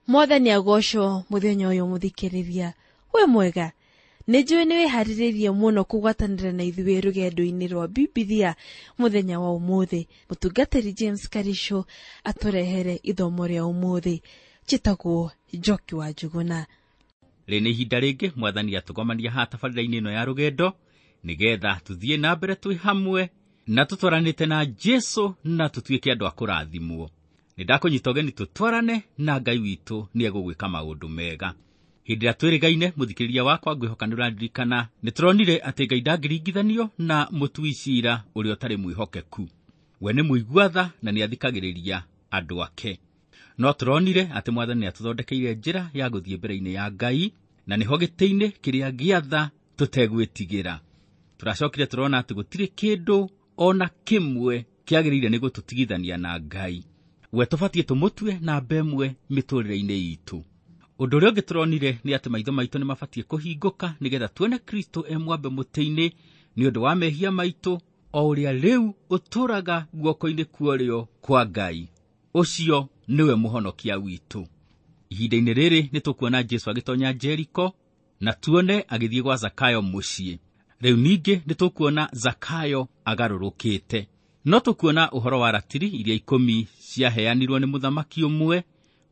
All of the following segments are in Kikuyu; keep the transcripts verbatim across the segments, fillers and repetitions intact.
Mwathani agocwo muthenya uyu muthikiriria. We mwega, nĩ njũĩ nĩ wĩharĩrĩirie mũno kũgwatanĩra na ithuĩ rũgendo-inĩ rwa Bibilia mũthenya wa ũmũthĩ. Mũtungatĩri James Karisho atũrehere ithomo rĩa ũmũthĩ. Njĩtagwo Njoki wa Njuguna. Rĩ nĩ ihinda rĩngĩ Mwathani atũgomania haha tabarĩra-inĩ ĩno ya rũgendo nĩgetha tũthiĩ na mbere twĩ hamwe na tũtwaranĩte na Jesu na tũtuĩke andũ a kũrathimwo. Nĩ ndakũnyita ũgeni tũtwarane na Ngai witũ nĩ egũgwĩka maũndũ mega. Hĩndĩ ĩrĩa twĩrĩgaine mũthikĩrĩria wakwa ngwĩhoka nĩ ũraririkana nĩ tũronire atĩ Ngai ndangĩringithanio na mũtui ciira ũrĩa ũtarĩ mwĩhokeku. We nĩ mũigua tha na nĩ athikagĩrĩria andũ ake. No tũronire atĩ Mwathani nĩ atũthondekeire njĩra ya gũthiĩ mbere-inĩ ya Ngai na nĩho gĩtĩ-inĩ kĩrĩa gĩa tha tũtegwĩtigĩra. Tũracokire tũrona atĩ gũtirĩ kĩndũ ona kĩmwe kĩagĩrĩire nĩ gũtũtigithania na Ngai. We tũbatiĩ tũmũtue namba ĩmwe mĩtũrĩre-inĩ itũ. Ũndũ ũrĩa ũngĩ tũronire nĩ atĩ maitho maitũ nĩ mabatiĩ kũhingũka nĩgetha tuone Kristo e mwambe mũtĩ-inĩ nĩ ũndũ wa mehia maitũ, o ũrĩa rĩu ũtũũraga guoko-inĩ kwa ũrĩo kwa Ngai. Ũcio nĩwe mũhonokia witũ. Ihinda-inĩ rĩrĩ nĩ tũkuona Jesu agĩtonya Jeriko na tuone agĩthiĩ gwa Zakayo mũciĩ. Rĩu ningĩ nĩ tũkuona Zakayo agarũrũkĩte. No tũkuona ũhoro wa ratiri iria ikũmi ciaheanirwo nĩ mũthamaki ũmwe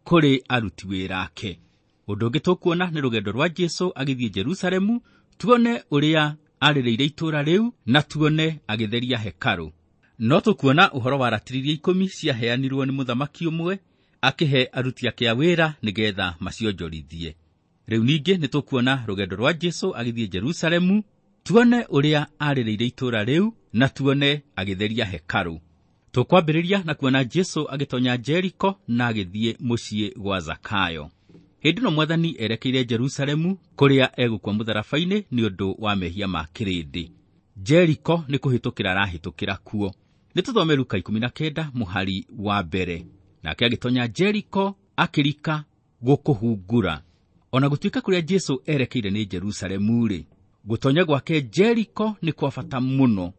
kũrĩ aruti wĩra ake. Ũndũ ũngĩ tũkuona nĩ rũgendo rwa Jesu agĩthiĩ Jerusalemu, tuone ũrĩa arĩrĩire itũũra rĩu na tuone agĩtheria hekarũ. No tũkuona ũhoro wa ratiri iria ikũmi ciaheanirwo nĩ mũthamaki ũmwe akĩhe aruti ake a wĩra nĩgetha macionjorithie. Rĩu ningĩ nĩ tũkuona rũgendo rwa Jesu agĩthiĩ Jerusalemu, tuone ũrĩa arĩrĩire itũũra rĩu na tuone agĩtheria hekarũ. Tũkwambĩrĩria na kuona Jesu agĩtonya Jeriko na agĩthiĩ mũciĩ gwa Zakayo. Hĩndĩ ĩno Mwathani erekeire Jerusalemu kũrĩa egũkua mũtharaba-inĩ nĩ ũndũ wa mehia ma kĩrĩndĩ. Jeriko nĩ kũhĩtũkĩra arahĩtũkĩra kuo. Nĩ tũthome Luka ikũmi na kenda mũhari wa mbere. Nake agĩtonya Jeriko akĩrika gũkũhungura. Ona gũtuĩka kũrĩa Jesu erekeire nĩ Jerusalemu-rĩ, gũtonya gwake Jeriko nĩ kwa bata mũno.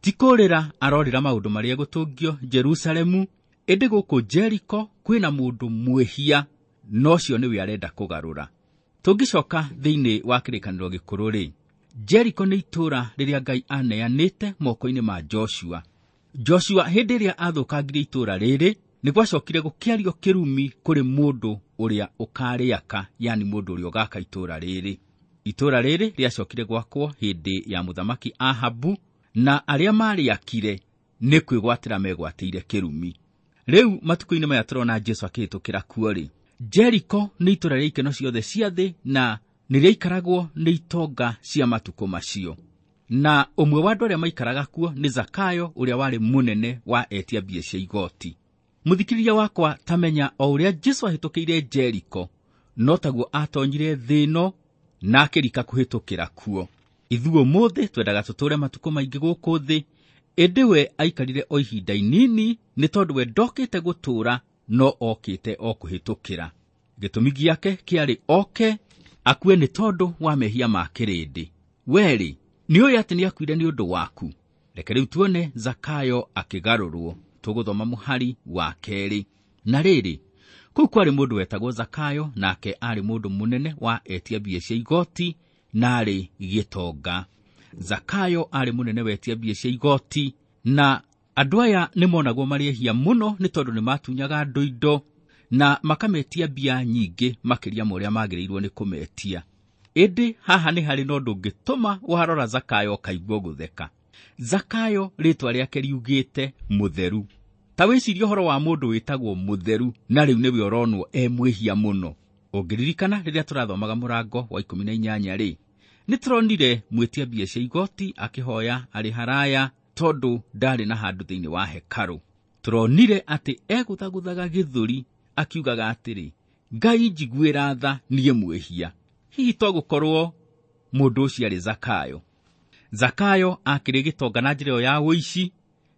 Ti kũrĩra arorĩra maũndũ marĩa gũtũngio Jerusalemu, ĩndĩ gũkũ Jeriko kwĩna mũndũ mwĩhia na ũcio nĩwe arenda kũgarũra. Tũngĩcoka thĩinĩ wa kĩrĩkanĩro gĩkũrũ-rĩ, Jeriko nĩ itũũra rĩrĩa Ngai aneanĩte moko-inĩ ma Joshua. Joshua hĩndĩ ĩrĩa athũkangirie itũũra rĩrĩ, nĩ gwacokire gũkĩario kĩrumi kũrĩ mũndũ ũrĩa ũkarĩaka, yani mũndũ ũrĩa ũgaka itũũra rĩrĩ. Itũũra rĩrĩ rĩacokire gwakwo hĩndĩ ya mũthamaki Ahabu, na arĩa marĩakire nĩ kwĩgwatĩra megwatĩire kĩrumi. Rĩu matukũ-inĩ maya tũrona Jesu akĩhĩtũkĩra kuo-rĩ, Jeriko nĩ itũũra rĩa ikeno ciothe cia thĩ na nĩ rĩaikaragwo nĩ itonga cia matukũ macio. Na ũmwe wa andũ arĩa maikaraga kuo nĩ Zakayo ũrĩa warĩ mũnene wa etia mbia cia igoti. Mũthikĩrĩria wakwa, tamenya o ũrĩa Jesu ahĩtũkĩire Jeriko, no taguo atonyire thĩ ĩno na akĩrika kũhĩtũkĩra kuo. Ithuĩ ũmũthĩ twendaga tũtũũre matukũ maingĩ gũkũ thĩ, ĩndĩ we aikarire o ihinda inini nĩ tondũ we ndokĩte gũtũũra no okĩte o kũhĩtũkĩra. Gĩtũmi gĩake kĩarĩ oke akue nĩ tondũ wa mehia ma kĩrĩndĩ. Werĩ, nĩ ũĩ atĩ nĩ akuire nĩ ũndũ waku. Reke rĩu tuone Zakayo akĩgarũrwo. Tũgũthoma mũhari wa kerĩ. Na rĩrĩ, kũu kwarĩ mũndũ wetagwo Zakayo, nake aarĩ mũndũ mũnene wa etia mbia cia igoti na aarĩ gĩtonga. Zakayo aarĩ mũnene wa etia mbia cia igoti, na andũ aya nĩ monagwo marĩ ehia mũno nĩ tondũ nĩ matunyaga andũ indo na makametia mbia nyingĩ makĩria ma ũrĩa magĩrĩirwo nĩ kũmetia. Ĩndĩ haha nĩ harĩ na ũndũ ũngĩtũma warora Zakayo ũkaigua gũtheka. Zakayo rĩtwa rĩake riugĩte mũtheru. Ta wĩcirie ũhoro wa mũndũ wĩtagwo mũtheru na rĩu nĩwe ũronwo e mwĩhia mũno. Ũngĩririkana rĩrĩa tũrathomaga mũrango wa ikũmi na inyanya rĩ, nĩ tũronire mwĩtia mbia cia igoti akĩhoya arĩ haraya tondũ ndarĩ na handũ thĩinĩ wa hekarũ. Tũronire atĩ egũthagũthaga gĩthũri akiugaga atĩrĩ, Ngai njiguĩra tha niĩ mwĩhia. Hihi to gũkorwo mũndũ ũcio arĩ Zakayo. Zakayo akĩrĩ gĩtonga na njĩra ĩyo ya ũici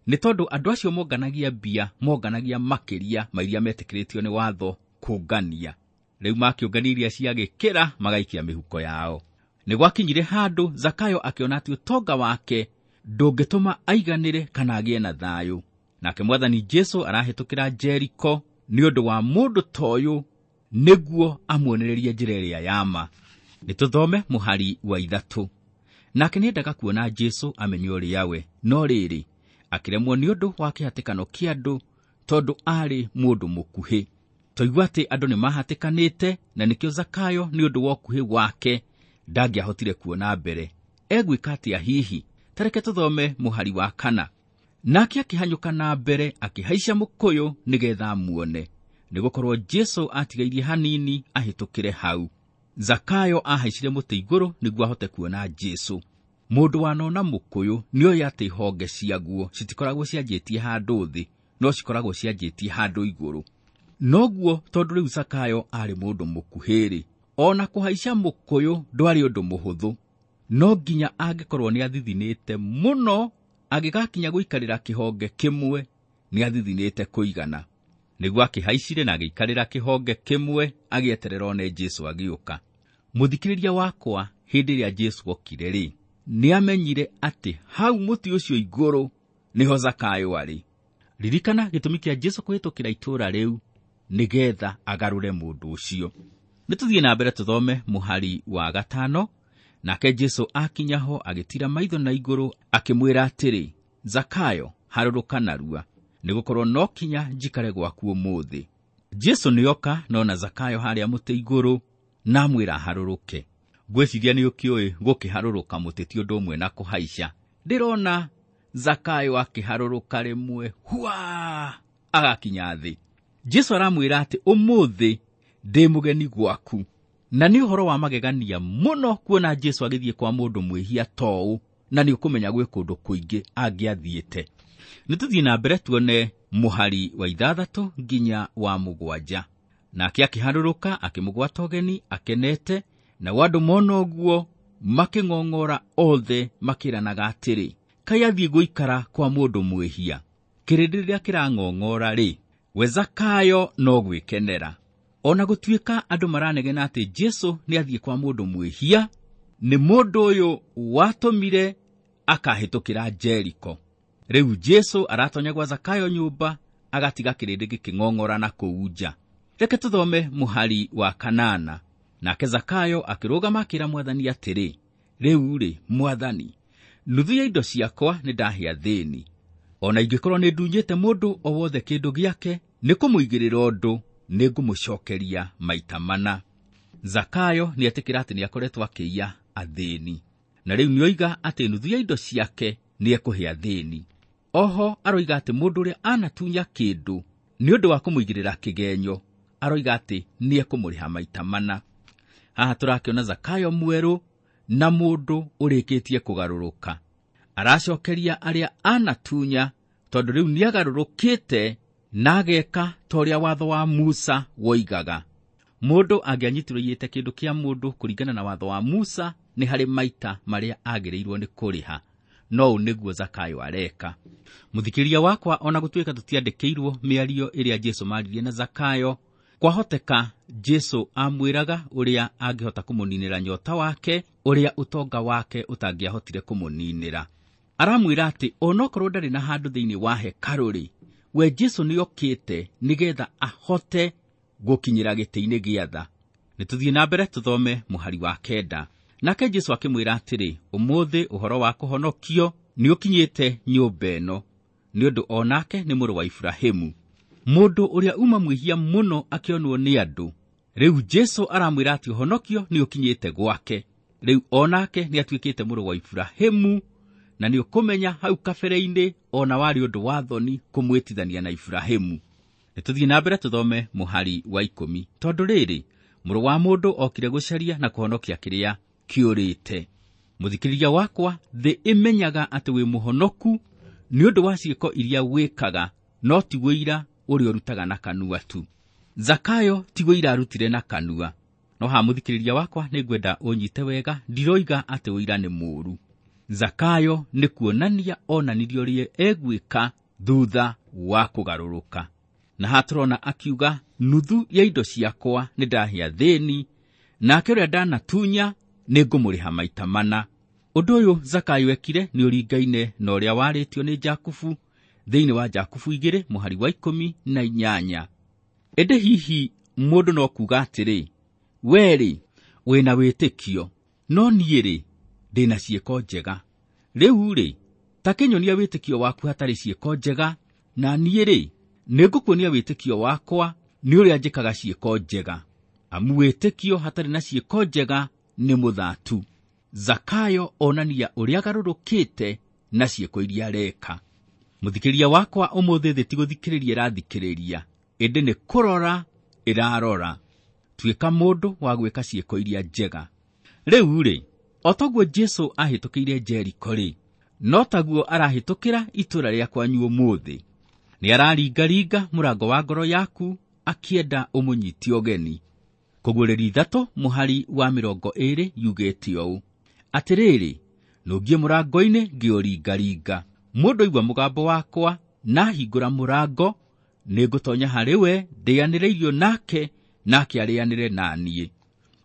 nĩ tondũ andũ acio monganagia mbia, monganagia makĩria ma iria metĩkĩrĩtio nĩ watho kũngania. Rĩu makĩũngania iria ciagĩkĩra magaikia mĩhuko yao. Nĩ gwakinyire handũ Zakayo akĩona atĩ ũtonga wake ndũngĩtũma aiganĩre kana agĩe na thayũ. Nake Mwathani Jesu arahĩtũkĩra Jeriko nĩ ũndũ wa mũndũ ta ũyũ nĩguo amuonererie njĩra ĩrĩa ya ma. Nĩtũthome mũhari wa ithatũ. Nake nĩendaga kuona Jesũ amenye ũrĩa we, no rĩrĩ, akĩremwo nĩ ũndũ wa kĩhatĩkano kĩa andũ, tondũ aarĩ mũndũ mũkuhĩ. Twaigua atĩ andũ nĩmahatĩkanĩte, na nĩkĩo Zakayo nĩ ũndũ wa ũkuhĩ wake ndangĩahotire kuona mbere. Egwĩka atĩa hihi? Tareke tũthome mũhari wa kana. Nake akĩhanyũka na mbere akĩhaica mũkũyũ nĩgetha amuone, nĩgũkorwo Jesũ atigairie hanini ahĩtũkĩre hau. Zakayo ahaicire mũtĩ igũrũ nĩguo ahote kuona Jesũ. Mũndũ wanona mũkũyũ nĩoĩ atĩ honge ciaguo citikoragwo cianjĩtie handũ thĩ, no cikoragwo cianjĩtie handũ igũrũ. Noguo tondũ rĩu Zakayo aarĩ mũndũ mũkuhĩ-rĩ, ona kũhaica mũkũyũ ndwarĩ ũndũ mũhũthũ. No nginya angĩkorwo nĩathithinĩte mũno, angĩgakinya gũikarĩra kĩhonge kĩmwe, nĩathithinĩte kũigana. Nĩguo akĩhaicire na agĩikarĩra kĩhonge kĩmwe, agĩeterera one Jesũ agĩũka. Mũthikĩrĩria wakwa, hĩndĩ ĩrĩa Jesũ okire-rĩ, nĩamenyire atĩ hau mũtĩ ũcio igũrũ nĩho Zakayo arĩ. Ririkana gĩtũmi kĩa Jesũ kũhĩtũkĩra itũũra rĩu nĩgetha agarũre mũndũ ũcio. Nĩtũthiĩ na mbere tũthome mũhari wa gatano. Nake Jesũ akinya ho agĩtira maitho na igũrũ akĩmwĩra atĩrĩ, Zakayo, harũrũka narua, nĩgũkorwo no kinya njikare gwaku ũmũthĩ. Jesũ nĩoka nona Zakayo harĩa mũtĩ igũrũ na amwĩra harũrũke. Ngwĩciria nĩũkĩũĩ gũkĩharũrũka mũtĩ ti ũndũ ũmwe na kũhaica. Ndĩrona Zakayo akĩharũrũka rĩmwe, hua, agakinya thĩ. Jesũ aramwĩra atĩ ũmũthĩ ndĩ mũgeni gwaku. Na nĩ ũhoro wa magegania mũno kuona Jesũ agĩthiĩ kwa mũndũ mwĩhia toũ, na nĩ ũkũmenya gwĩ kũndũ kũingĩ angĩathiĩte. Nĩtũthiĩ na mbere tuone mũhari wa ithathatũ nginya wa mũgwanja. Nake akĩharũrũka akĩmũgwata ũgeni akenete, nao andũ mona ũguo makĩng'ong'ora othe makĩranaga atĩrĩ, kaĩ athiĩ gũikara kwa mũndũ mwĩhia. Kĩrĩndĩ rĩrĩa kĩrang'ong'ora rĩ, we Zakayo no gwĩkenera. Ona gũtuĩka andũ maranegena atĩ Jesũ nĩathiĩ kwa mũndũ mwĩhia, nĩ mũndũ ũyũ watũmire akahĩtũkĩra Jeriko. Rĩu Jesũ aratonya gwa Zakayo nyũmba, agatiga kĩrĩndĩ gĩkĩng'ong'ora na kũu nja. Reke tũthome mũhari wa kanana. Nake Zakayo akĩrũgama akĩra Mwathani atĩrĩ, rĩu-rĩ, Mwathani, nuthu ya indo ciakwa nĩndahe athĩni. Ona ingĩkorwo nĩndunyĩte mũndũ o wothe kĩndũ gĩake, nĩkũmũigĩrĩra ũndũ, nĩngũmũcokeria maita mana. Zakayo nĩetĩkĩra atĩ nĩakoretwo akĩiya athĩni, na rĩu nĩoiga atĩ nuthu ya indo ciake nĩekũhe athĩni. Oho aroiga atĩ mũndũ ũrĩa anatunya kĩndũ nĩ ũndũ wa kũmũigĩrĩra kĩgenyo, aroiga atĩ nĩekũmũrĩha maita mana. Haha tũrakĩona Zakayo mwerũ na mũndũ ũrĩkĩtie kũgarũrũka. Aracokeria arĩa anatunya tondũ rĩu nĩagarũrũkĩte na ageka ta ũrĩa watho wa Musa woigaga. Mũndũ angĩanyitirwo aiyĩte kĩndũ kĩa mũndũ kũringana na watho wa Musa, nĩ harĩ maita marĩa agĩrĩirwo nĩ kũrĩha. No ũũ nĩguo Zakayo areka. Mũthikĩrĩria wakwa, ona gũtuĩka tũtiandĩkĩirwo mĩario ĩrĩa Jesũ maaririe na Zakayo, kwahoteka Jesũ amwĩraga ũrĩa angĩhota kũmũninĩra nyota wake, ũrĩa ũtonga wake ũtangĩahotire kũmũninĩra. Aramwĩra atĩ onokorwo ndarĩ na handũ thĩinĩ wa hekarũ-rĩ, we Jesũ nĩokĩte nĩgetha ahote gũkinyĩra gĩtĩ-inĩ gĩa tha. Nĩtũthiĩ na mbere tũthome mũhari wa kenda. Nake Jesũ akĩmwĩra atĩrĩ, ũmũthĩ ũhoro wa kũhonokio nĩũkinyĩte nyũmba ĩno, nĩ ũndũ o nake nĩ mũrũ wa Iburahĩmu. Mũndũ ũrĩa uma mwĩhia mũno akĩonwo nĩ andũ, rĩu Jesũ aramwĩra atĩ ũhonokio nĩũkinyĩte gwake. Rĩu o nake nĩatuĩkĩte mũrũ wa Iburahĩmu, na nĩũkũmenya hau kabere-inĩ ona warĩ ũndũ wa thoni kũmwĩtithania na Iburahĩmu. Nĩtũthiĩ na mbere tũthome mũhari wa ikũmi. Tondũ rĩrĩ, mũrũ wa mũndũ okire gũcaria na kũhonokia kĩrĩa kĩũrĩte. Mũthikĩrĩria wakwa, thĩ ĩmenyaga atĩ wĩ mũhonoku nĩ ũndũ wa ciĩko iria wĩkaga, no ti wĩira ũrĩa ũrutaga na kanua tu. Zakayo ti wĩira arutire na kanua. No haha mũthikĩrĩria wakwa, nĩngwenda ũnyite wega, ndiroiga atĩ ũira nĩ mũũru. Zakayo nĩ kuonania onanirie ũrĩa egwĩka thutha wa kũgarũrũka. Na haha tũrona akiuga, nuthu ya indo ciakwa nĩndahe athĩni, nake ũrĩa ndanatunya nĩngũmũrĩha maita mana. Ũndũ ũyũ Zakayo ekire nĩ ũringaine na ũrĩa warĩtio nĩ Jakubu thĩinĩ wa Jakubu igĩrĩ mũhari wa ikũmi na inyanya. Ĩndĩ hihi Mũndũ no kuuga atĩrĩ, we-rĩ, wĩna wĩtĩkio, no niĩ-rĩ, ndĩna ciĩko njega. Rĩu-rĩ, ta kĩnyonia wĩtĩkio waku hatarĩ ciĩko njega, na niĩ-rĩ, nĩngũkuonia wĩtĩkio wakwa nĩ ũrĩa njĩkaga ciĩko njega. Amu wĩtĩkio hatarĩ na ciĩko njega nĩ mũthatu. Zakayo onania ũrĩa agarũrũkĩte na ciĩko iria areka. Mũthikĩrĩria wakwa ũmũthĩ thĩ ti gũthikĩrĩria ĩrathikĩrĩria, ĩndĩ nĩ kũrora ĩrarora. Tuĩka mũndũ wa gwĩka ciĩko iria njega. Rĩu-rĩ, o toguo Jesũ ahĩtũkĩire Jeriko-rĩ, no taguo arahĩtũkĩra itũũra rĩa kwanyu ũmũthĩ. Nĩ araringaringa mũrango wa ngoro yaku akĩenda ũmũnyite ũgeni. Kũguũrĩrio ithatũ mũhari wa mĩrongo ĩĩrĩ yugĩte ũũ: atĩrĩrĩ, nũngiĩ mũrango-inĩ ngĩũringaringa. Mũndũ aigua mũgambo wakwa na ahingũra mũrango, nĩngũtonya harĩ we, ndĩanĩre irio nake, nake arĩanĩre na niĩ.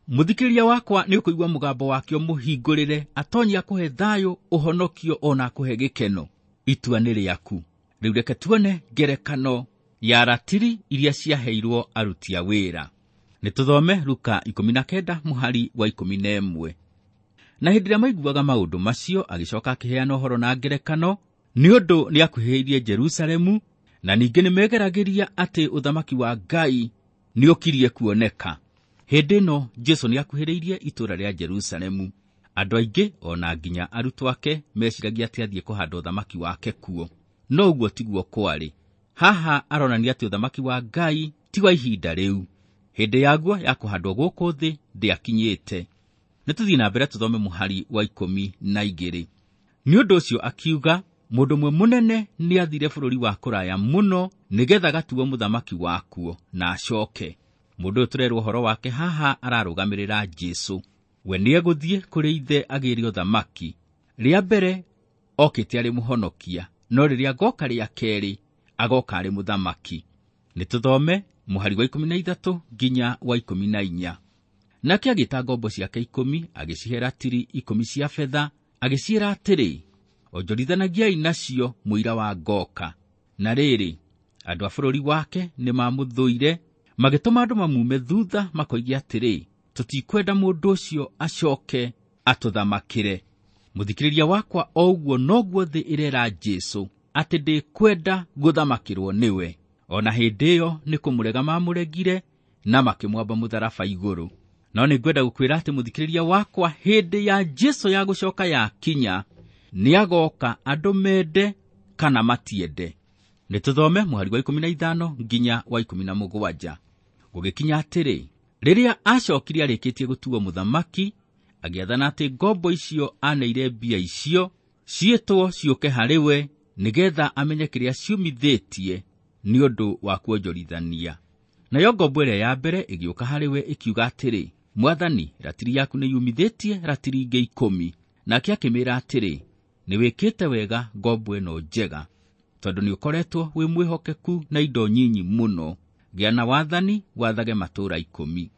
Mũthikĩrĩria wakwa nĩ ũkũigua mũgambo wake ũmũhingũrĩre, atonye akũhe thayũ, ũhonokio ona akũhe gĩkeno. Itua nĩ rĩaku. Rĩu reke tuone ngerekano ya ratiri iria ciaheirwo aruti a wĩra. Nĩ tũthome Luka ikũmi na kenda mũhari wa ikũmi na ĩmwe. Na hĩndĩ ĩrĩa maiguaga maũndũ macio, agĩcoka akĩheana ũhoro na ngerekano, nĩ ũndũ nĩakuhĩrĩirie Jerusalemu, na ningĩ nĩmegeragĩria atĩ ũthamaki wa Ngai nĩũkirie kuoneka. Hĩndĩ ĩno Jesũ nĩakuhĩrĩirie itũũra rĩa Jerusalemu. Andũ aingĩ ona nginya arutwo ake meciragia atĩ athiĩ kũhanda ũthamaki wake kuo, no ũguo tiguo kwarĩ. Haha aronania atĩ ũthamaki wa Ngai ti wa ihinda rĩu. Hĩndĩ yaguo ya kũhandwo gũkũ thĩ ndĩakinyĩte. Nĩ tũthiĩ na mbere tũthome mũhari wa ikũmi na igĩrĩ. Nĩ ũndũ ũcio akiuga, mũndũ ũmwe mũnene nĩathire bũrũri wa kũraya mũno nĩgetha agatuo mũthamaki wakuo na acoke. Mũndũ ũyũ tũrerwo ũhoro wake haha ararũgamĩrĩra Jesũ. We nĩegũthiĩ kũrĩ ithe agĩre ũthamaki. Rĩa mbere okĩte arĩ mũhonokia, no rĩrĩa agoka rĩa kerĩ agoka arĩ mũthamaki. Nĩ tũthome mũhari wa ikũmi na ithatũ nginya wa ikũmi na inya. Nake agĩta ngombo ciake ikũmi, agĩcihe ratiri ikũmi cia betha, agĩciĩra atĩrĩ, onjorithanagiai nacio mũira wa ngoka. Na rĩrĩ, andũ a bũrũri wake nĩmamũthũire, magĩtũma andũ mamume thutha makoige atĩrĩ, tũtikwenda mũndũ ũcio acoke atũthamakĩre. Mũthikĩrĩria wakwa, o ũguo noguo thĩ ĩrera Jesũ atĩ ndĩkwenda gũthamakĩrwo nĩwe. Ona hĩndĩ ĩyo nĩ kũmũrega mamũregire na makĩmwamba mũtharaba igũrũ. No nĩngwenda gũkwĩra atĩ mũthikĩrĩria wakwa, hĩndĩ ya Jesũ ya gũcoka yakinya, nĩagoka andũ mende kana matiende. Nĩ tũthome mũhari wa ikũmi na ithano nginya wa ikũmi na mũgwanja. Gũgĩkinya atĩrĩ, rĩrĩa acokire arĩkĩtie gũtuo mũthamaki, agĩathana atĩ ngombo icio aneire mbia icio ciĩtwo ciũke harĩ we, nĩgetha amenye kĩrĩa ciumithĩtie nĩ ũndũ wa kuonjorithania. Nayo ngombo ĩrĩa ya mbere ĩgĩũka harĩ we ĩkiuga atĩrĩ, Mwathani, ratiri yaku nĩyumithĩtie ratiri ingĩ ikũmi. Nake akĩmĩĩra atĩrĩ, nĩwĩkĩte wega ngombo ĩno njega, tondũ nĩũkoretwo wĩ mwĩhokeku na indo nyinyi mũno. Gĩa na wathani, wathage matũũra ikũmi.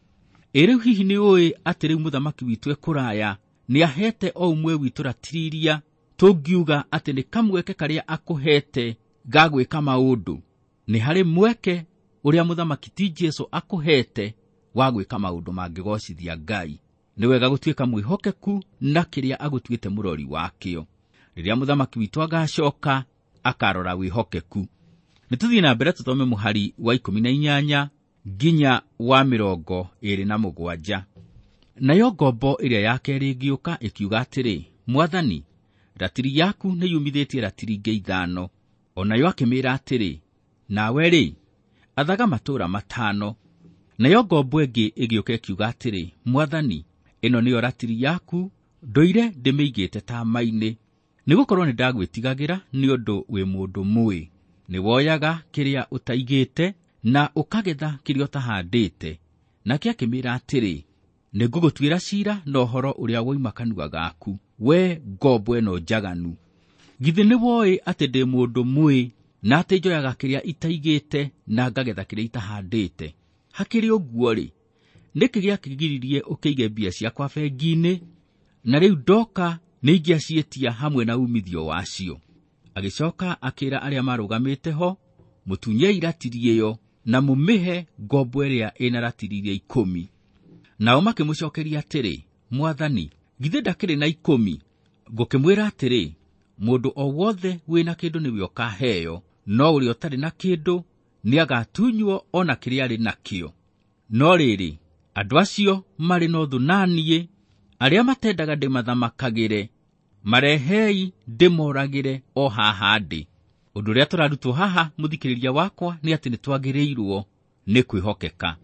Ĩ rĩu hihi nĩũĩ atĩ rĩu mũthamaki witũ e kũraya nĩahete o ũmwe witũ ratiri iria tũngiuga atĩ nĩ kamweke karĩa akũhete ga gwĩka maũndũ? Nĩ harĩ mweke ũrĩa mũthamaki ti Jesũ akũhete wa gwĩka maũndũ mangĩgocithia Ngai. Nĩ wega gũtuĩka mwĩhokeku na kĩrĩa agũtuĩte mũrori wakĩo. Rĩrĩa mũthamaki witũ agacoka, akarora wĩhokeku. Nĩ tũthiĩ na mbere tũthome mũhari wa ikũmi na inyanya nginya wa mĩrongo ĩĩrĩ na mũgwanja. Nayo ngombo ĩrĩa ya kerĩ ĩgĩũka ĩkiuga atĩrĩ, Mwathani, ratiri yaku nĩyumithĩtie ratiri ingĩ ithano. O nayo akĩmĩĩra atĩrĩ, nawe-rĩ, athaga matũũra matano. Nayo ngombo ĩngĩ ĩgĩũka ĩkiuga atĩrĩ, Mwathani, ĩno nĩyo ratiri yaku, ndũire ndĩmĩigĩte tama-inĩ, nĩgũkorwo nĩndagwĩtigagĩra nĩ ũndũ wĩ mũndũ mũĩ. Nĩwoyaga kĩrĩa ũtaigĩte na ũkagetha kĩrĩa ũtahandĩte. Nake akĩmĩĩra atĩrĩ, nĩngũgũtuĩra ciira na ũhoro ũrĩa woima kanua gaku, we ngombo ĩno njaganu. Githĩ nĩwoĩ atĩ ndĩ mũndũ mũĩ, na atĩ njoyaga kĩrĩa itaigĩte na ngagetha kĩrĩa itahandĩte? Hakĩrĩ ũguo-rĩ, nĩkĩ gĩakĩgiririe ũkĩige mbia ciakwa bengi-inĩ, na rĩu ndoka nĩingĩaciĩtia hamwe na umithio wacio? Agĩcoka akĩĩra arĩa marũgamĩte ho, mũtunyei ratiri ĩyo, na mũmĩhe ngombo ĩrĩa ĩna ratiri iria ikũmi. Nao makĩmũcokeria atĩrĩ, Mwathani, githĩ ndakĩrĩ na ikũmi? Ngũkĩmwĩra atĩrĩ, mũndũ o wothe wĩna kĩndũ nĩwe ũkaheo, no ũrĩa ũtarĩ na kĩndũ nĩagatunywo o na kĩrĩa arĩ nakĩo. No rĩrĩ, andũ acio marĩ na ũthũ na niĩ, arĩa matendaga ndĩmathamakagĩre, marehei ndĩmoragĩre o haha ndĩ. Ũndũ ũrĩa tũrarutwo haha, mũthikĩrĩria wakwa, nĩ atĩ nĩtwagĩrĩirwo nĩ kwĩhokeka.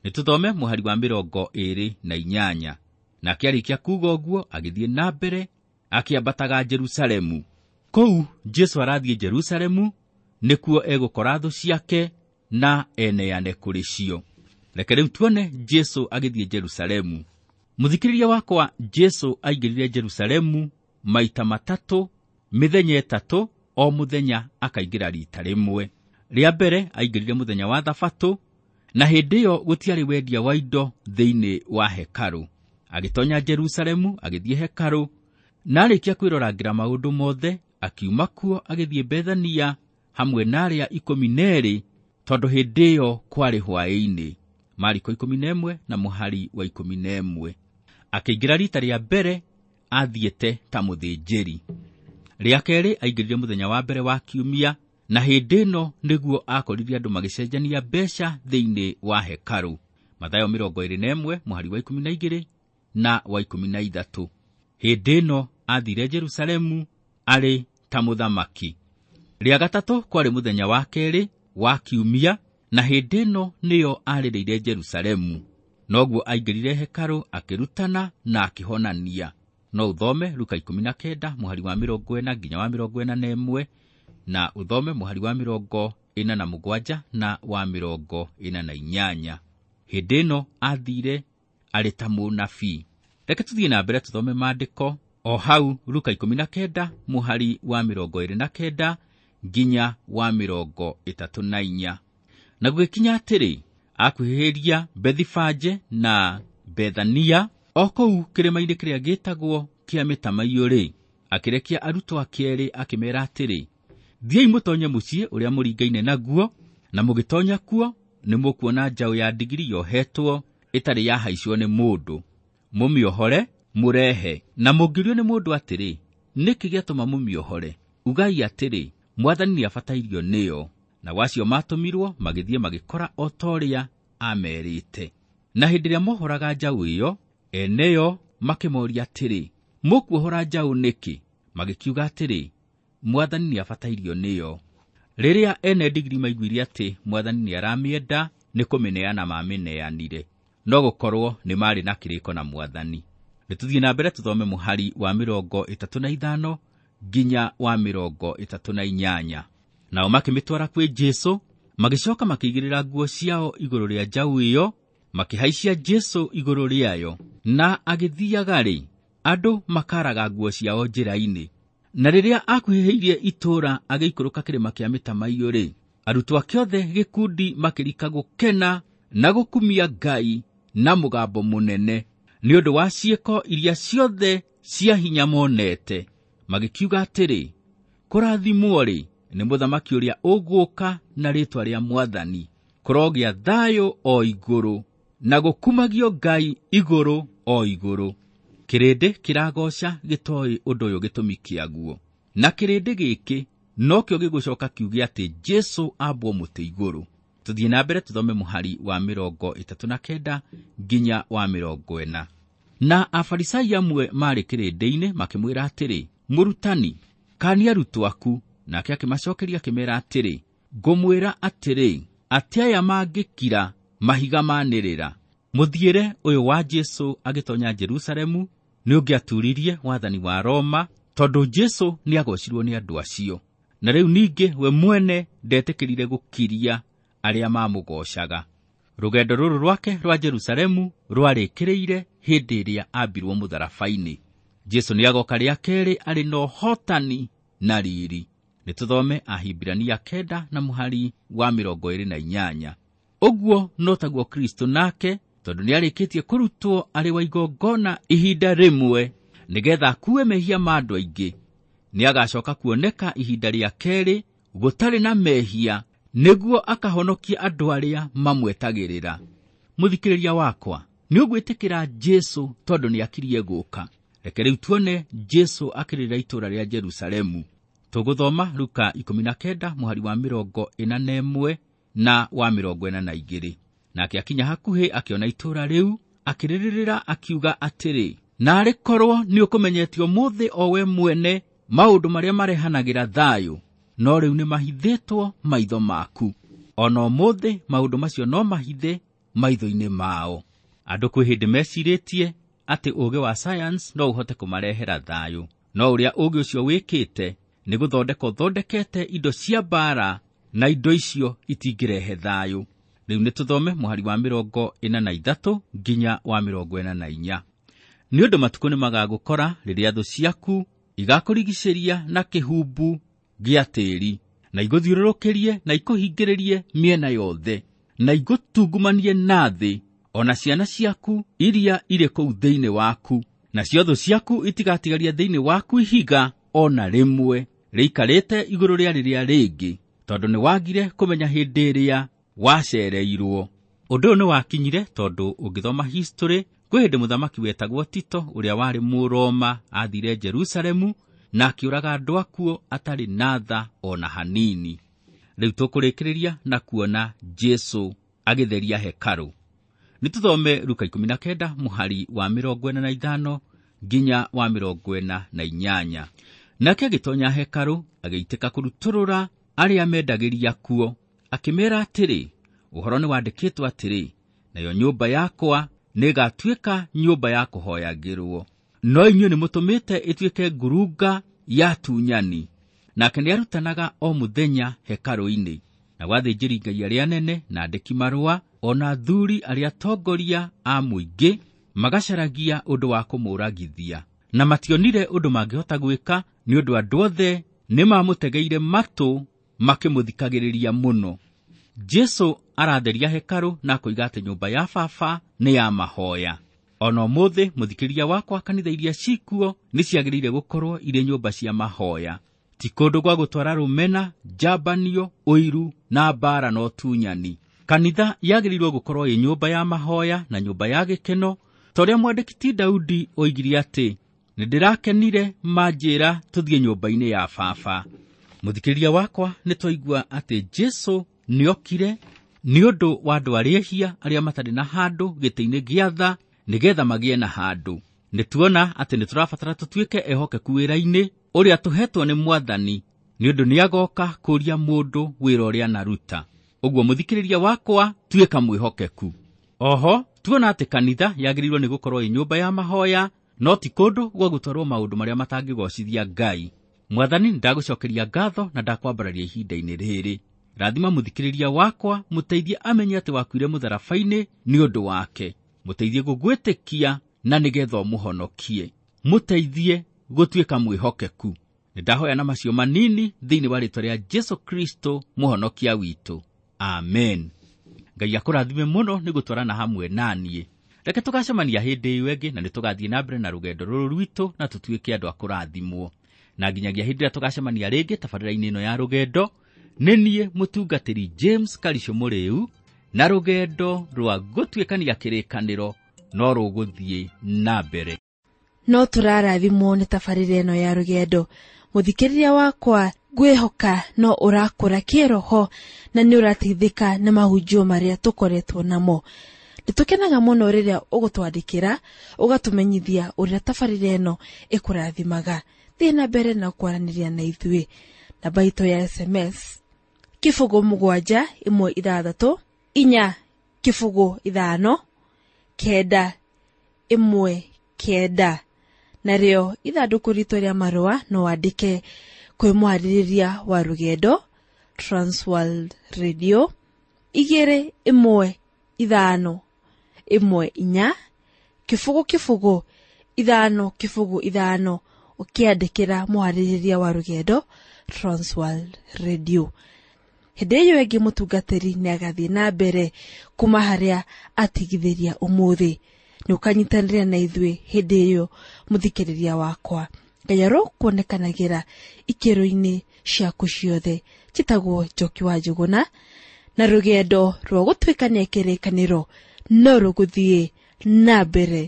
Nĩtũthome mũhari wa mĩrongo ĩĩrĩ na inyanya. Nake arĩkia kuuga ũguo, agĩthiĩ na mbere akĩambataga Jerusalemu. Kũu Jesũ arathiĩ Jerusalemu nĩkuo egũkora thũ ciake na eneane kũrĩ cio. Reke rĩu tuone Jesũ agĩthiĩ Jerusalemu. Mũthikĩrĩria wakwa, Jesũ aingĩrire Jerusalemu maita matatũ, mĩthenya ĩtatũ, o mũthenya akaingĩra rita rĩmwe. Rĩa mbere aingĩrire mũthenya wa Thabatũ, na hĩndĩ ĩyo gũtiarĩ wendia wa indo thĩinĩ wa hekarũ. Agĩtonya Jerusalemu, agĩthiĩ hekarũ, na arĩkia kwĩrorangĩra maũndũ mothe, akiuma kuo agĩthiĩ Bethania hamwe na arĩa ikũmi na erĩ, tondũ hĩndĩ ĩyo kwarĩ hwaĩ-inĩ. Mariko ikũmi na ĩmwe na mũhari wa ikũmi na ĩmwe. Akĩingĩra rita rĩa mbere athiĩte ta mũthĩnjĩri. Rĩa kerĩ aingĩrire mũthenya wa mbere wa kiumia, na hĩndĩ ĩno nĩguo akorire andũ magĩcenjania mbeca thĩinĩ wa hekarũ. Mathayo mĩrongo ĩĩrĩ na ĩmwe mũhari wa ikũmi na igĩrĩ na wa ikũmi na ithatũ. Hĩndĩ ĩno athire Jerusalemu arĩ ta mũthamaki. Rĩa gatatũ kwarĩ mũthenya wa kerĩ wa kiumia, na hĩndĩ ĩno nĩyo arĩrĩire Jerusalemu. Noguo aingĩrire hekarũ akĩrutana na akĩhonania. No ũthome Luka ikũmi na kenda mũhari wa mĩrongo ĩna nginya wa mĩrongo ĩna na ĩmwe, na ũthome mũhari wa mĩrongo ĩna na mũgwanja na wa mĩrongo ĩna na inyanya. Hĩndĩ ĩno athire arĩ ta mũnabii. Reke tũthiĩ na mbere tũthome maandĩko o hau Luka ikũmi na kenda mũhari wa mĩrongo ĩĩrĩ na kenda nginya wa mĩrongo ĩtatũ na inya. Na gũgĩkinya atĩrĩ, akuhĩrĩria Bethifage na Bethania, o kũu kĩrĩma-inĩ kĩrĩa gĩtagwo kĩa mĩtamaiyũ-rĩ, akĩrekia arutwo ake erĩ akĩmeera atĩrĩ, thiĩi mũtonye mũciĩ ũrĩa mũringaine naguo, na mũgĩtonya kuo nĩmũkuona njaũ ya ndigiri yohetwo ĩtarĩ yahaicwo nĩ mũndũ. Mũmĩohore, mũrehe. Na mũngĩũrio nĩ mũndũ atĩrĩ, nĩkĩ gĩatũma mũmĩohore? Ugai atĩrĩ, Mwathani nĩabatairio nĩyo. Na wacio matũmirwo magĩthiĩ magĩkora o ta ũrĩa amerĩte. Na hĩndĩ ĩrĩa mohoraga njaũ ĩyo, eneyo makĩmoria atĩrĩ, mũkuohora njaũ nĩkĩ? Magĩkiuga atĩrĩ, Mwathani nĩabatairio nĩyo. Rĩrĩa ene ndigiri maiguire atĩ Mwathani nĩaramĩenda, nĩ kũmĩneana mamĩneanire. No gũkorwo nĩ marĩ na kĩrĩko na Mwathani. Nĩtũthiĩ na mbere tũthome mũhari wa mĩrongo ĩtatũ na ithano nginya wa mĩrongo ĩtatũ na inyanya. Nao makĩmĩtwara kwĩ Jesũ, magĩcoka makĩigĩrĩra nguo ciao igũrũ rĩa njaũ ĩyo, makĩhaicia Jesũ igũrũ rĩayo. Na agĩthiaga-rĩ, andũ makaraga nguo ciao njĩra-inĩ. Na rĩrĩa akuhĩrĩirie itũũra agĩikũrũka kĩrĩma kĩa mĩtamaiyũ-rĩ, arutwo ake othe gĩkundi makĩrika gũkena na gũkumia Ngai na mũgambo mũnene nĩ ũndũ wa ciĩko iria ciothe cia hinya monete. Magĩkiuga atĩrĩ, kũrathimwo-rĩ nĩ mũthamaki ũrĩa ũgũũka na rĩĩtwa rĩa Mwathani, kũrogĩa thayũ o igũrũ na gũkumagio Ngai igũrũ o igũrũ. Kĩrĩndĩ kĩragoca gĩtoĩ ũndũ ũyũ gĩtũmi kĩaguo, na kĩrĩndĩ gĩkĩ nokĩo gĩgũcoka kiuge atĩ Jesũ ambwo mũtĩ igũrũ. Tũthiĩ na mbere tũthome mũhari wa mĩrongo ĩtatũ na kenda nginya wa mĩrongo ĩna. Na Afarisai amwe maarĩ kĩrĩndĩ-inĩ makĩmwĩra atĩrĩ, Mũrutani, kaania arutwo aku. Nake akĩmacokeria akĩmeera atĩrĩ, ngũmwĩra atĩrĩ, atĩ aya mangĩkira mahiga manĩrĩra. Mũthiĩre ũyũ wa Jesũ agĩtonya Jerusalemu nĩũngĩaturirie wathani wa Roma, tondũ Jesũ nĩagocirwo nĩ andũ acio. Na rĩu ningĩ we mwene ndetĩkĩrire gũkiria arĩa mamũgocaga. Rũgendo rũrũ rwake rwa Jerusalemu rwarĩkĩrĩire hĩndĩ ĩrĩa ambirwo mũtharaba-inĩ. Jesũ nĩagoka rĩa kerĩ arĩ na ũhotani na riri. Nĩtũthome Ahibirania kenda na mũhari wa mĩrongo ĩĩrĩ na inyanya. Ũguo no taguo Kristo nake, tondũ nĩarĩkĩtie kũrutwo arĩ wa igongona ihinda rĩmwe nĩgetha akue mehia ma andũ aingĩ, nĩagacoka kuoneka ihinda rĩa kerĩ gũtarĩ na mehia nĩguo akahonokie andũ arĩa mamwetagĩrĩra. Mũthikĩrĩria wakwa, nĩ ũgwĩtĩkĩra Jesũ tondũ nĩ akirie gũka. Reke rĩu tuone Jesũ akĩrĩra itũũra rĩa Jerusalemu. Tũgũthoma Luka ikũmi na kenda mũhari wa mĩrongo ĩna na ĩmwe na wa mĩrongo ĩna na igĩrĩ. Nake akinya hakuhĩ akĩona itũũra rĩu, akĩrĩrĩra akiuga atĩrĩ, naarĩ korwo nĩ ũkũmenyete ũmũthĩ o we mwene maũndũ marĩa marehanagĩra thayũ, no rĩu nĩ mahithĩtwo maitho maku. Ona ũmũthĩ maũndũ macio no mahithe maitho-inĩ mao. Andũ kwĩ hĩndĩ mecirĩtie atĩ ũũgĩ wa science no ũhote kũmarehera thayũ, no ũrĩa ũũgĩ ũcio wĩkĩte nĩ gũthondeka ũthondekete indo cia mbaara, na indo icio itingĩrehe thayũ. Rĩu nĩ tũthome mũhari wa mĩrongo ĩna na ithatũ nginya wa mĩrongo ĩna na inya. Nĩ ũndũ matukũ nĩ magagũkora rĩrĩa thũ ciaku igakũrigicĩria na kĩhumbu gĩa tĩĩri, na igũthiũrũrũkĩrie na ikũhingĩrĩrie mĩena yothe, na igũtungumanie na thĩ, ona ciana ciaku iria irĩ kũu thĩinĩ waku, nacio thũ ciaku itigatigaria thĩinĩ waku ihiga ona rĩmwe rĩikarĩte igũrũ rĩa rĩrĩa rĩngĩ, tondũ nĩ wagire kũmenya hĩndĩ ĩrĩa wacereirwo. Ũndũ ũyũ nĩ wakinyire tondũ ũngĩthoma history, kwĩ hĩndĩ mũthamaki wetagwo Tito ũrĩa warĩ Mũroma athire Jerusalemu na akĩũraga andũ akuo atarĩ na tha ona hanini. Rĩu tũkũrĩkĩrĩria na kuona Jesũ agĩtheria hekarũ. Nĩ tũthome Luka ikũmi na kenda mũhari wa mĩrongo ĩna na ithano nginya wa mĩrongo ĩna na inyanya. Nake agĩtonya hekarũ, agĩitĩka kũrutũrũra arĩa mendagĩria kuo, akĩmeera atĩrĩ, ũhoro nĩ wandĩkĩtwo atĩrĩ, nayo nyũmba yakwa nĩĩgatuĩka nyũmba ya kũhoyagĩrwo, no inyuĩ nĩmũtũmĩte ĩtuĩke ngurunga ya tunyani. Nake nĩarutanaga o mũthenya hekarũ-inĩ. Nao athĩnjĩri-Ngai arĩa anene na andĩki marũa ona athuri arĩa atongoria a mũingĩ magacaragia ũndũ wa kũmũragithia, na mationire ũndũ mangĩhota gwĩka, nĩ ũndũ andũ othe nĩmamũtegeire matũ makĩmũthikagĩrĩria mũno. Jesũ aratheria hekarũ na akoiga atĩ nyũmba ya Baba nĩ ya mahoya. Ona ũmũthĩ mũthikĩrĩria wakwa, kanitha iria cikuo nĩ ciagĩrĩire gũkorwo irĩ nyũmba cia mahoya, ti kũndũ gwa gũtwara rũmena, njambanio, ũiru na mbaara na ũtunyani. Kanitha yagĩrĩirwo gũkorwo ĩ nyũmba ya mahoya na nyũmba ya gĩkeno, ta ũrĩa mwandĩki ti Daudi oigire atĩ, nĩ ndĩrakenire manjĩra tũthiĩ nyũmba-inĩ ya Baba. Mũthikĩrĩria wakwa, nĩ twaigua atĩ Jesũ nĩokire nĩ ũndũ wa andũ arĩa ehia arĩa matarĩ na handũ gĩtĩ-inĩ gĩa tha, nĩgetha magĩe na handũ. Nĩ tuona atĩ nĩ tũrabatara tũtuĩke ehokeku wĩra-inĩ ũrĩa tũhetwo nĩ Mwathani, nĩ ũndũ nĩagoka kũũria mũndũ wĩra ũrĩa anaruta. Ũguo mũthikĩrĩria wakwa, tuĩka mwĩhokeku. Oho tuona atĩ kanitha yagĩrĩirwo nĩ gũkorwo ĩ nyũmba ya mahoya, no ti kũndũ gwa gũtwarwo maũndũ marĩa matangĩgocithia Ngai. Mwathani, ndagũcokeria ngatho na ndakwambararia ihinda-inĩ rĩrĩ. Rathima mũthikĩrĩria wakwa, mũteithie amenye atĩ wakuire mũtharaba-inĩ nĩ ũndũ wake. Mũteithie gũgwĩtĩkia na nĩgetha ũmũhonokie. Mũteithie gũtuĩka mwĩhokeku. Nĩndahoya na macio manini thĩinĩ wa rĩĩtwa rĩa Jesũ Kristo mũhonokia witũ. Amen. Ngai akũrathime mũno nĩ gũtwarana hamwe na niĩ. Reke tũgacemania hĩndĩ ĩyo ĩngĩ, na nĩ tũgathiĩ na mbere na rũgendo rũrũ rwitũ na tũtuĩke andũ a kũrathimwo. Na nginyagia hĩndĩ ĩrĩa tũgacemania rĩngĩ tabarĩra-inĩ ĩno ya rũgendo, nĩ niĩ mũtungatĩri James Karisho Mũrĩu, na rũgendo rwa gũtuĩkania kĩrĩkanĩro no rũgũthiĩ na mbere. No tũrarathimwo nĩ tabarĩra ĩno ya rũgendo. Mũthikĩrĩria wakwa, ngwĩhoka no ũrakũra kĩroho na nĩ ũrateithĩka nĩ mahunjio marĩa tũkoretwo namo. Nĩtũkenaga mũno rĩrĩa ũgũtwandĩkĩra, ũgatũmenyithia ũrĩa tabarĩra ĩno ĩkũrathimaga. Thiĩ na mbere na kwaranĩria na ithuĩ. Namba itũ ya S M S kĩbũgũ mũgwanja ĩmwe ithathatũ inya kĩbũgũ ithano kenda ĩmwe kenda. Narĩo ithandũkũ ritũ rĩa marũa no wandĩke kwĩ mwarĩrĩria wa rũgendo Transworld Radio igĩrĩ ĩmwe ithano ĩmwe inya kĩbũgũ kĩbũgũ ithano kĩbũgũ ithano, ũkĩandĩkĩra mwarĩrĩria wa rũgendo Transworld Radio. Hĩndĩ ĩyo ĩngĩ mũtungatĩri nĩagathiĩ na mbere kuma harĩa atigithĩria ũmũthĩ. Nĩ ũkanyitanĩra na ithuĩ hĩndĩ ĩyo mũthikĩrĩria wakwa. Ngai arokuonekanagĩra ikĩro-inĩ ciaku ciothe. Njĩtagwo Njoki wa Njũgũna, na rũgendo rwa gũtuĩkania kĩrĩkanĩro no rũgũthiĩ na mbere.